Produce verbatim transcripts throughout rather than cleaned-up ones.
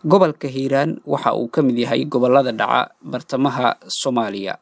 Gobolka Hiiraan waxa uu ka mid yahay gobollada dhaca bartamaha Soomaaliya,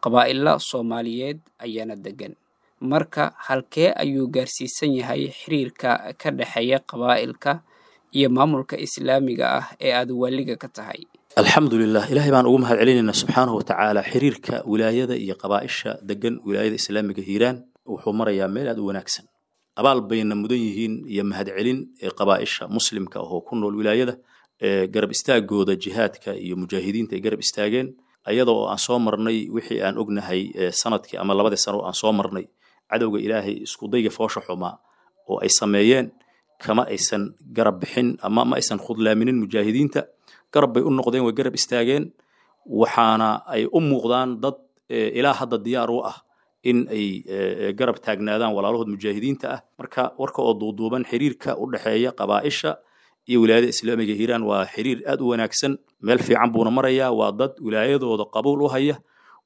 qabaa'ilo Soomaaliyeed ayaana degan. Marka halkee ayuu gaarsiisan yahay xiriirka ka dhexeeya qabaa'ilka iyo maamulka islaamiga ah ee aad waaliga ka tahay? Alxamdulilah, Ilaahay baan ugu mahad celinaynaa subxaanahu watacaala. Xiriirka wilaayada iyo qabaa'isha degan wilaayada islaamiga Hiiraan wuxuu marayaa meel aad u wanaagsan. Abaal bayna mudan yihiin iyo mahadcelin ee qabaa'isha muslimka ah oo ku nool wilaayada ee garab istaagooda jihaadka iyo mujaahidiinta ay garab istaageen, ayada oo aan soo marnay wixii aan ognahay ee sanadkii ama labadii sano oo aan soo marnay cadowga Ilaahay iskudayga foosha xumaa oo ay sameeyeen, kama aysan garab bixin ama ma aysan khudlaaminin mujaahidiinta. Garab bay u noqdeen, way garab istaageen, waxaana ay u muuqdaan dad ilaa hadda diyaar u ah in ay garab taagnaadaan walaalahood mujaahidiinta ah. Marka warka oo duuduuban, xiriirka u dhexeeya qabaa'isha iyo wilaayada islaamiga Hiiraan waa xiriir aad u wanaagsan, meel fiican buuna marayaa. Waa dad wilaayadooda qabuul u haya,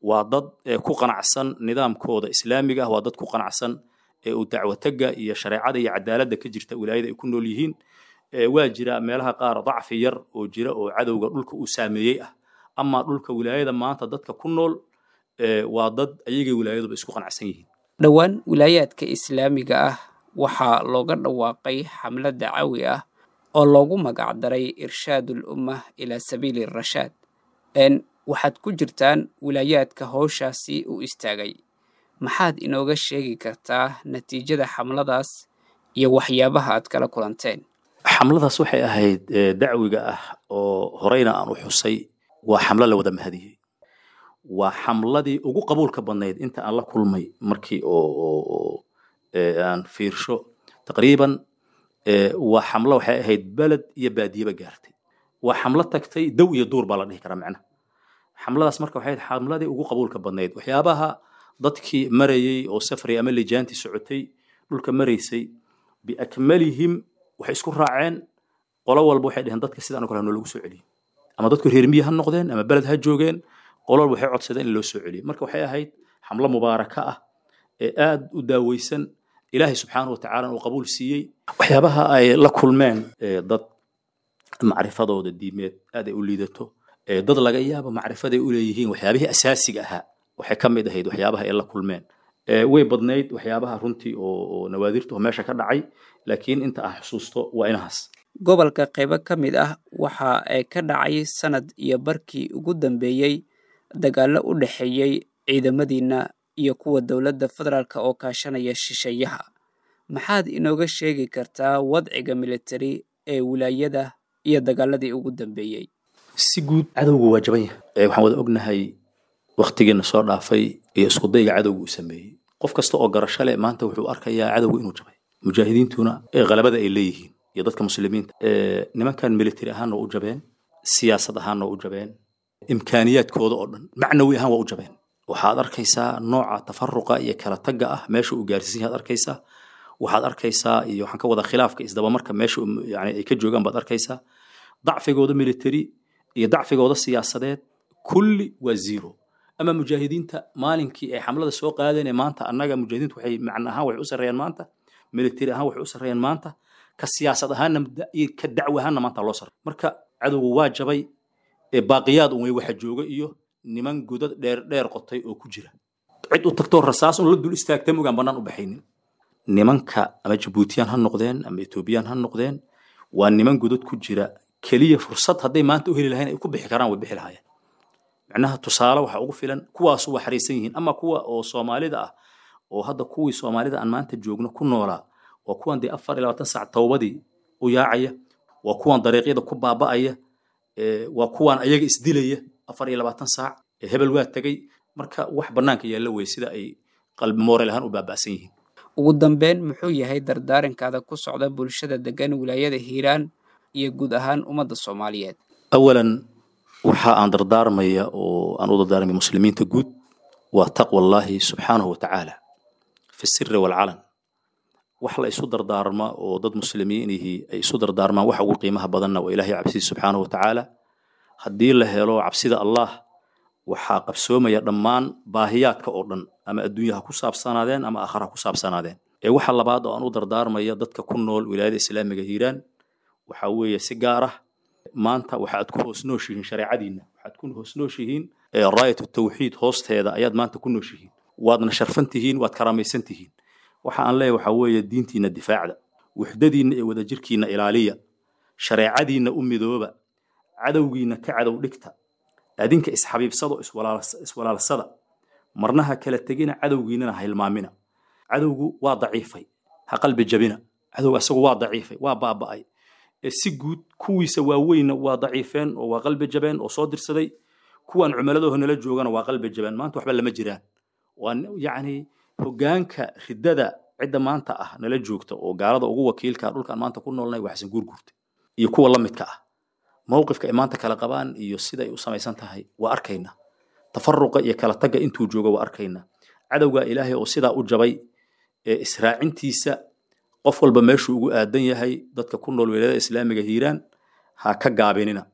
waa dad ku qanacsan nidaamkooda islaamiga ah, waa dad ku qanacsan ee uu dacwataga iyo shareecada iyo cadaaladda ka jirta wilaayada ay ku nool yihiin. Waa jira meelaha qaar dacfi yar oo jira oo cadowga dhulka uu saameeyey ah, ama dhulka wilaayada maanta dadka ku nool waa dad ayagay wilaayaduba isku qanacsan yihiin. Dhowaan wilaayaadka islaamiga ah waxaa looga dhawaaqay xamlad dacawi ah oo loogu magac daray Irshaadul Ummah ilaa Sabiili Rashaad. N waxaad ku jirtaan wilaayaadka howshaasi u istaagay. Maxaad inooga sheegi kartaa natiijada xamladaas iyo waxyaabaha aad kala kulanteen? Xamladaas waxay ahayd dacwiga ah oo horeyna aan u xusay, waa xamlo la wada mahadiyey. Waa xamladii ugu qabuulka badnayd inta aan la kulmay markii oo aan fiirsho taqriiban. Waa xamlo waxay ahayd beled iyo baadiyeba gaartay, waa xamlo tagtay dow iyo duur baa la dhihi karaa macnaha. Xamladaas marka waxay ahayd xamladii ugu qabuulka badnayd. Waxyaabaha dadkii marayey oo safray ama lijaantii socotay dhulka maraysay biakmalihim waxay isku raaceen, qolo walba waxay dheheen dadka sidaan oo kale hanoo lagu soo celiyo, ama dadku reer miyi ha noqdeen ama beled ha joogeen, qolo walba waxay codsadeen in loo soo celiyo. Marka waxay ahayd xamlo mubaaraka ah ee aad u daaweysan, Ilaahay subxaanahu watacaala uu qabuul siiyey. Waxyaabaha ay la kulmeen, dad macrifadooda diimeed aad ay u liidato, dad laga yaabo macrifaday u leeyihiin waxyaabihii asaasiga ahaa, waxay ka mid ahayd waxyaabaha ay la kulmeen. Way badnayd waxyaabaha runtii oo nawaadirta oo meesha ka dhacay, laakiin inta aan xusuusto waa inahaas. Gobolka qaybo ka mid ah waxa ay ka dhacay sanad iyo barkii ugu dambeeyey dagaallo u dhexeeyey ciidamadiina iyo kuwa dowladda federaalk oo kaashanaya shisheeyaha. Maxaad inooga sheegi kartaa wadciga militari ee wilaayada iyo dagaaladii ugu dambeeyey? Si guud cadowgu waa jaban yahay. Waxaan wada ognahay waktigiina soo dhaafay iyo iskudayga cadowga uu sameeyey. Qof kasta oo garasho leh maanta wuxuu arkayaa cadowga inuu jabay, mujaahidiintuna ee qalabada ay leeyihiin iyo dadka muslimiinta. Nimankan military ahaanna waa u jabeen, siyaasad ahaanna waa u jabeen, imkaaniyaadkooda oo dhan macnawi ahaan waa u jabeen. Waxaad arkaysaa nooca tafaruqa iyo kala tagga ah meesha uu gaarsiisan yahay aad arkaysaa. Waxaad arkaysaa iyo waxaan ka wada khilaafka isdabamarka meesha yani ay ka joogaan baad arkaysaa. Dacfigooda military iyo dacfigooda siyaasadeed kulli waa zero. Ama mujaahidiinta maalinkii ay xamlada soo qaadeen ee maanta annaga mujaahidiintu waxay macna ahaan waxay u sarreeyaan maanta, military ahaan waxay u sarreeyaan maanta, ka siyaasad ahaanna iyo ka dacwo ahaanna maanta loo sarreeya. Marka cadowgu waa jabay, ee baaqiyaad un way waxa jooga iyo niman godad dheer dheer qotay oo ku jira, cid u tagtoo rasaas un la dul istaagta mogaan bannaan u baxaynin. Nimanka ama Jabuutiyaan ha noqdeen ama Etoobiyaan ha noqdeen, waa niman godad ku jira keliya. Fursad hadday maanta u heli lahayn ay ku bixi karaan way bixi lahaayeen. Macnaha tusaale waxa ugu filan kuwaasu waa xariisan yihiin, ama kuwa oo Soomaalida ah oo hadda kuwii Soomaalida aan maanta joogno ku noolaa waa kuwan dee afar iyo labaatan saac towbadii u yaacaya, waa kuwan dariiqyada ku baaba'aya, waa kuwan ayaga isdilaya afar iyo labaatan saac, hebel waa tegay. Marka wax bannaanka yaalla wey sida ay qalbi moorel ahaan u baaba'san yihiin. Ugu dambeyn, muxuu yahay dardaarankaada ku socda bulshada degan wilaayada Hiiraan iyo guud ahaan ummadda Soomaaliyeed? Awalan waxa aan dardaarmaya oo aan u dardaarmaya muslimiinta guud waa taqwa Allahi subxaanahu watacaala fi siri waalcalan. Wax la isu dardaarma oo dad muslimiin ihi ay isu dardaarmaan waxa ugu qiimaha badanna waa Ilaahay cabsidiisa subxaanahu watacaala. Haddii la helo cabsida Allah, waxaa qabsoomaya dhammaan baahiyaadka oo dhan, ama adduunyaha ku saabsanaadeen ama aakhara ku saabsanaadeen. Ee waxa labaad oo aan u dardaarmaya dadka ku nool wilaayada islaamiga Hiiraan waxaa weeye si gaar ah Maanta waxaad ku hoos nooshihiin shareecadiinna, waxaad ku hoos nooshihiin raayatu tawxiid hoosteeda ayaad maanta ku nooshihiin, waadna sharfan tihiin, waad karaamaysan tihiin. Waxa aan leeyahay waxaa weeye diintiinna difaacda, wuxdadiinna iyo wadajirkiinna ilaaliya, shareecadiinna u midooba, cadowgiinna ka cadow dhigta, adinka isxabiibsado, iswalaalsada, marna ha kala tegina, cadowgiinnana ha hilmaamina. Cadowgu waa daciifay, ha qalbi jabina. Cadowga asagu waa daciifay, waa baaba'ay. Si guud kuwiisa waaweynna waa daciifeen oo waa qalbi jabeen oo soo dirsaday, kuwan cumaladooha nala joogana waa qalbi jabeen, maanta waxba lama jiraan. Waa yacni hoggaanka riddada cidda maanta ah nala joogta oo gaalada ugu wakiilka dhulkaan maanta ku noolnahay waa Xasan Guurguurta iyo kuwa la midka ah. Mowqifka ay maanta kala qabaan iyo sida ay u samaysan tahay waa arkaynaa, tafaruqa iyo kala tagga intuu joogo waa arkaynaa. Cadowga Ilaahay oo sidaa u jabay ee israacintiisa qof walba meeshuu ugu aadan yahay, dadka ku nool wilaayada islaamiga Hiiraan ha ka gaabinina.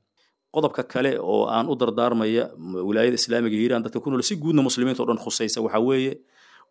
Qodobka kale oo aan u dardaarmaya wilaayada islaamiga Hiiraan dadka ku nool, si guudna muslimiinta oo dhan khusaysa, waxaa weeye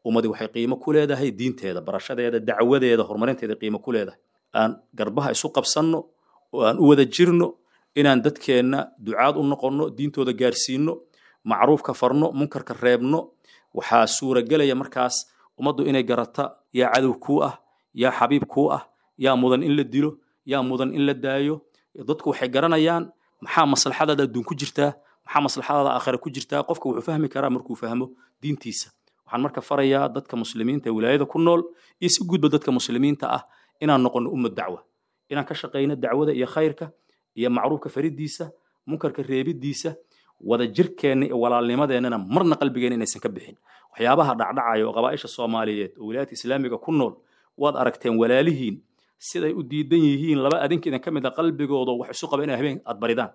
ummadi waxay qiimo ku leedahay diinteeda, barashadeeda, dacwadeeda, horumarinteeda qiimo ku leedahay. Aan garbaha isu qabsanno oo aan u wada jirno inaan dadkeenna ducaad u noqonno, diintooda gaarsiino, macruufka farno, munkarka reebno. Waxaa suuragelaya markaas ummaddu inay garata yaa cadow kuu ah, yaa xabiib kuu ah, yaa mudan in la dilo, yaa mudan in la daayo. Dadku waxay garanayaan maxaa maslaxadaada adduun ku jirtaa, maxaa maslaxadaada aakhira ku jirtaa. Qofka wuxuu fahmi karaa markuu fahmo diintiisa. Waxaan marka farayaa dadka muslimiinta ee wilaayada ku nool iyo si guudba dadka muslimiinta ah inaan noqono ummad dacwa, inaan ka shaqayno dacwada iyo khayrka iyo macruufka faridiisa, munkarka reebidiisa, wada jirkeenna iyo walaalnimadeennana marna qalbigeena inaysan ka bixin. Waxyaabaha dhacdhacaya oo qabaa'isha Soomaaliyeed oo wilaayadka islaamiga ku nool waad aragteen, walaalihiin siday u diidan yihiin laba adinka idin ka mid a qalbigooda wax isu qaba inay habeen aad baridaan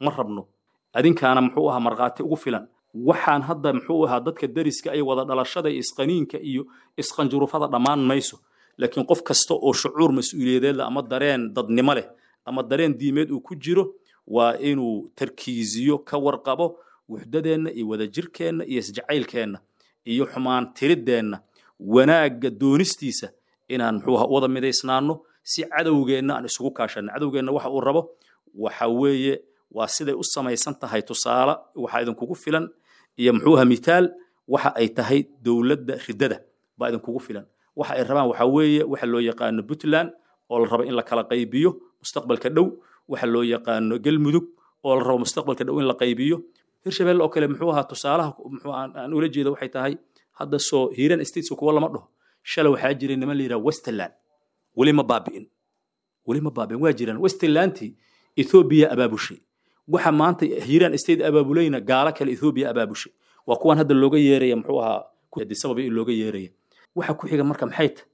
ma rabno. Adinkaana muxuu ahaa markhaati ugu filan. Waxaan hadda muxuu ahaa dadka deriska iyo wada dhalashada iyo isqaniinka iyo isqanjurufada dhammaan mayso, laakiin qof kasta oo shucuur mas-uuliyadeed leh ama dareen dadnimo leh ama dareen diimeed uu ku jiro waa inuu tarkiiziyo, ka warqabo wuxdadeenna iyo wadajirkeenna iyo isjacaylkeenna iyo xumaan tiriddeenna, wanaagga doonistiisa, inaan muxuu ahaa u wada midaysnaano si cadowgeenna aan isugu kaashanno. Cadowgeenna waxa uu rabo waxa weeye waa siday u samaysan tahay. Tusaale waxaa idinkugu filan iyo muxuu ahaa mitaal waxa ay tahay dowladda riddada baa idinkugu filan. Waxa ay rabaan waxa weeye waxa loo yaqaano Puntland oo la rabo in la kala qaybiyo mustaqbalka dhow, waxa loo yaqaano Galmudug oo la rabo mustaqbalka dhow in la qaybiyo, Hirshabelle oo kale. Muxuu ahaa tusaalaha muxuu aan ula jeeda waxay tahay hadda soo Hiiraan States kuwa lama dhaho. Shalay waxaa jiray niman la yidhaha Westerland, weli ma baabi'in, weli ma baabi'in, waa jiraan. Westerlandtii Ethiopia abaabushay, waxa maanta Hiiraan State abaabulayna gaalo kale Ethiopia abaabushay, waa kuwan hadda looga yeeraya muxuu ahaa Addis Ababa in looga yeeraya. Waxa ku xiga marka maxay tahay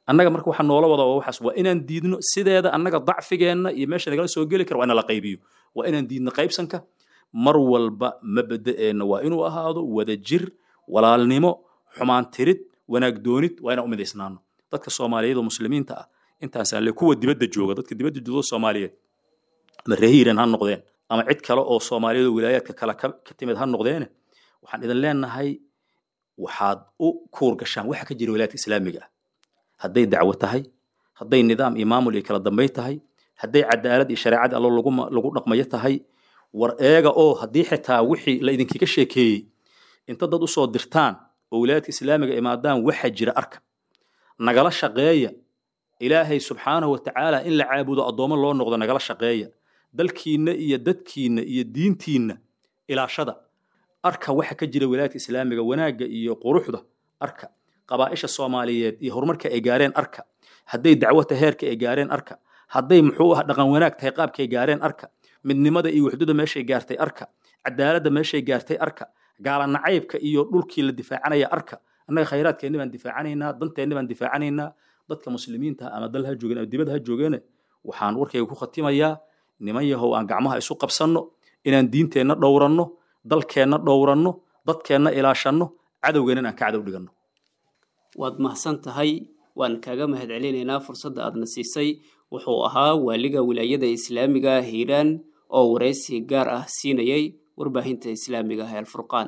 annaga marka waxa noola wada waa waxaas, waa inaan diidno sideeda annaga dacfigeenna iyo meesha nagala soo geli kara waa in la qaybiyo, waa inaan diidno qaybsanka. Mar walba mabda'eenna waa inuu ahaado wadajir, walaalnimo, xumaan tirid, wanaag doonid, waa inaan u midaysnaano dadka Soomaaliyeed oo muslimiinta ah. Intaasaan le kuwa dibadda jooga, dadka dibadda jooga Soomaaliyeed ama reer Hiiraan ha noqdeen ama cid kale oo Soomaaliyeed oo wilaayaadka kale ka timid ha noqdeene, waxaan idin leenahay waxaad u kuur gashaan waxa ka jira wilaayadka islaamiga ah, hadday dacwo tahay, hadday nidaam iyo maamul iyo kala dambayn tahay, hadday cadaalad iyo shareecada allo lagu lagu dhaqmayo tahay. War eega oo haddii xitaa wixii la idinkaga sheekeeyey inta dad usoo dirtaan oo wilaayadka islaamiga imaadaan waxa jira arka, nagala shaqeeya Ilaahay subxaanahu watacaala in la caabudo, addoommo loo noqdo, nagala shaqeeya dalkiinna iyo dadkiinna iyo diintiinna ilaashada. Arka waxa ka jira wilaayadka islaamiga, wanaagga iyo quruxda arka, qabaa'isha Soomaaliyeed iyo horumarka ay gaareen arka, hadday dacwata heerka ay gaareen arka, hadday muxuu ah dhaqan wanaag tahay qaabkay gaareen arka, midnimada iyo wuxdada meeshay gaartay arka, cadaaladda meeshay gaartay arka, gaala nacaybka iyo dhulkii la difaacanaya arka. Annaga khayraadkeenni baan difaacanaynaa, danteenni baan difaacanaynaa. Dadka muslimiinta ama dal ha joogeen ama dibad ha joogeene, waxaan warkayga ku khatimayaa niman yahow aan gacmaha isu qabsanno inaan diinteenna dhowranno, dalkeenna dhowranno, dadkeenna ilaashanno, cadowgeenna aan ka cadow dhiganno. Waad mahadsan tahay, waan kaaga mahadcelinaynaa fursadda aadna siisay. Wuxuu ahaa waaliga wilaayada islaamiga Hiiraan oo waraysi gaar ah siinayay warbaahinta islaamiga ah ee Alfurqaan.